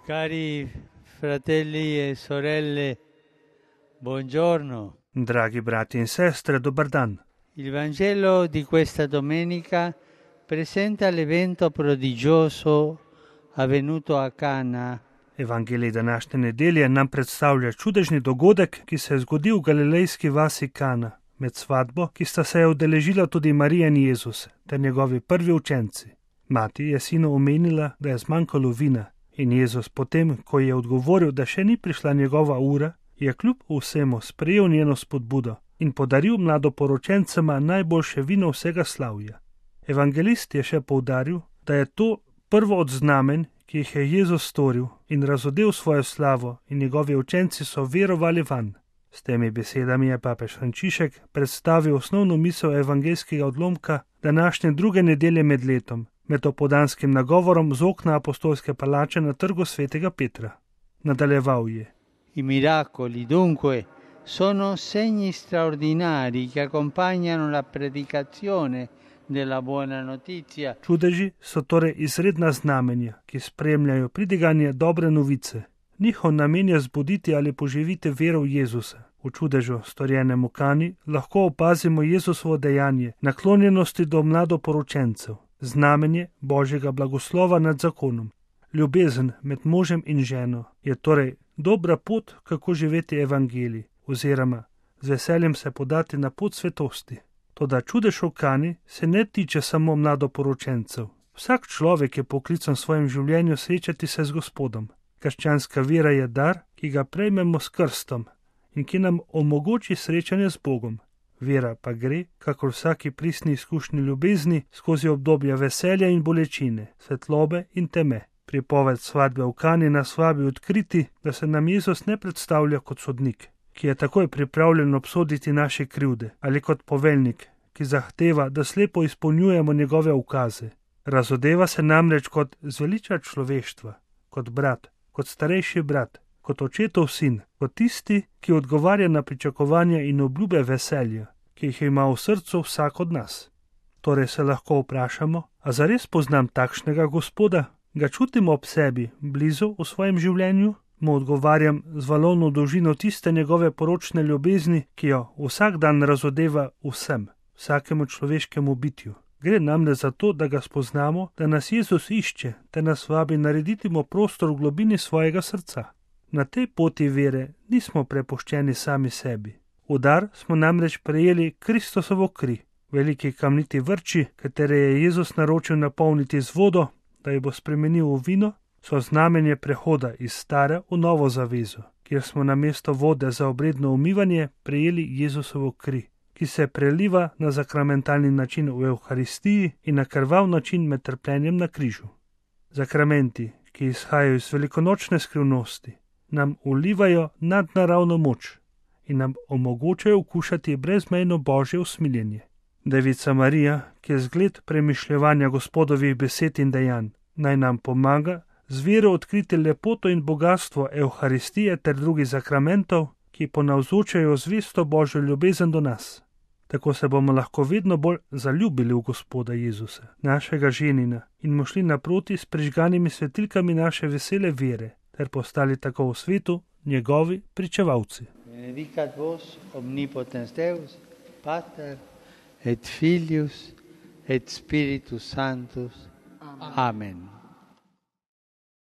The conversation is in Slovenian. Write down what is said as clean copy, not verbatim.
Cari fratelli e sorelle, buongiorno. Dragi brati in sestre, dobar dan. Il Vangelo di questa domenica presenta l'evento prodigioso avvenuto a Cana. Evangelij današnje nedelje nam predstavlja čudežni dogodek, ki se je zgodil v galilejski vasi Kana, med svatbo, ki sta se je udeležila tudi Marija in Jezus, ter njegovi prvi učenci. Mati je sinu omenila, da je zmanjkalo vina, in Jezus potem, ko je odgovoril, da še ni prišla njegova ura, je kljub vsemu sprejel njeno spodbudo in podaril mladoporočencema najboljše vino vsega slavja. Evangelist je še poudaril, da je to prvo od znamen, ki jih je Jezus storil in razodel svojo slavo, in njegovi učenci so verovali vanj. S temi besedami je papež Frančišek predstavil osnovno misel evangeljskega odlomka današnje druge nedelje med letom, med opoldanskim nagovorom z okna apostolske palače na trgu svetega Petra. Nadaljeval je: I miracoli, dunque, sono segni straordinari che accompagnano la predicazione della buona notizia. Čudeži so torej izredna znamenja, ki spremljajo pridiganje dobre novice. Njihov namen je zbuditi ali poživiti vero v Jezusa. V čudežu, storjenem v Kani, lahko opazimo Jezusovo dejanje naklonjenosti do mladoporočencev, znamenje Božjega blagoslova nad zakonom. Ljubezen med možem in ženo je torej dobra pot, kako živeti evangelij, oziroma z veseljem se podati na pot svetosti. Toda čudež v Kani se ne tiče samo mladoporočencev. Vsak človek je poklican v svojem življenju srečati se z Gospodom. Krščanska vera je dar, ki ga prejmemo s krstom in ki nam omogoči srečanje z Bogom. Vera pa gre, kakor vsaki pristni izkušnji ljubezni, skozi obdobja veselja in bolečine, svetlobe in teme. Pripoved svatbe v Kani nas vabi odkriti, da se nam Jezus ne predstavlja kot sodnik, ki je takoj pripravljen obsoditi naše krivde, ali kot poveljnik, ki zahteva, da slepo izpolnjujemo njegove ukaze. Razodeva se namreč kot zveličar človeštva, kot brat, kot starejši brat, kot očetov sin, kot tisti, ki odgovarja na pričakovanja in obljube veselja, ki jih ima v srcu vsak od nas. Torej se lahko vprašamo, a zares poznam takšnega Gospoda? Ga čutimo ob sebi, blizu v svojem življenju? Mu odgovarjam z valovno dolžino tiste njegove poročne ljubezni, ki jo vsak dan razodeva vsem, vsakemu človeškemu bitju. Gre namreč za to, da ga spoznamo, da nas Jezus išče, te nas vabi narediti mu prostor v globini svojega srca. Na tej poti vere nismo prepuščeni sami sebi. V dar smo namreč prejeli Kristosovo kri, veliki kamniti vrči, katere je Jezus naročil napolniti z vodo, da jo bo spremenil v vino, so znamenje prehoda iz stare v novo zavezo, kjer smo namesto vode za obredno umivanje prejeli Jezusovo kri, ki se preliva na sakramentalni način v Evharistiji in na krvav način med trpljenjem na križu. Sakramenti, ki izhajajo iz velikonočne skrivnosti, nam vlivajo nadnaravno moč in nam omogočajo okušati brezmejno Božje usmiljenje. Devica Marija, ki je zgled premišljevanja Gospodovih besed in dejanj, naj nam pomaga z vero odkriti lepoto in bogatstvo Evharistije ter drugih sakramentov, ki ponavzočajo zvesto Božjo ljubezen do nas. Tako se bomo lahko vedno bolj zaljubili v Gospoda Jezusa, našega ženina, in mu šli naproti s prižganimi svetilkami naše vesele vere, ter postali tako v svetu njegovi pričevalci. Benedicat vos omnipotens Deus, Pater et Filius et Spiritus Sanctus. Amen.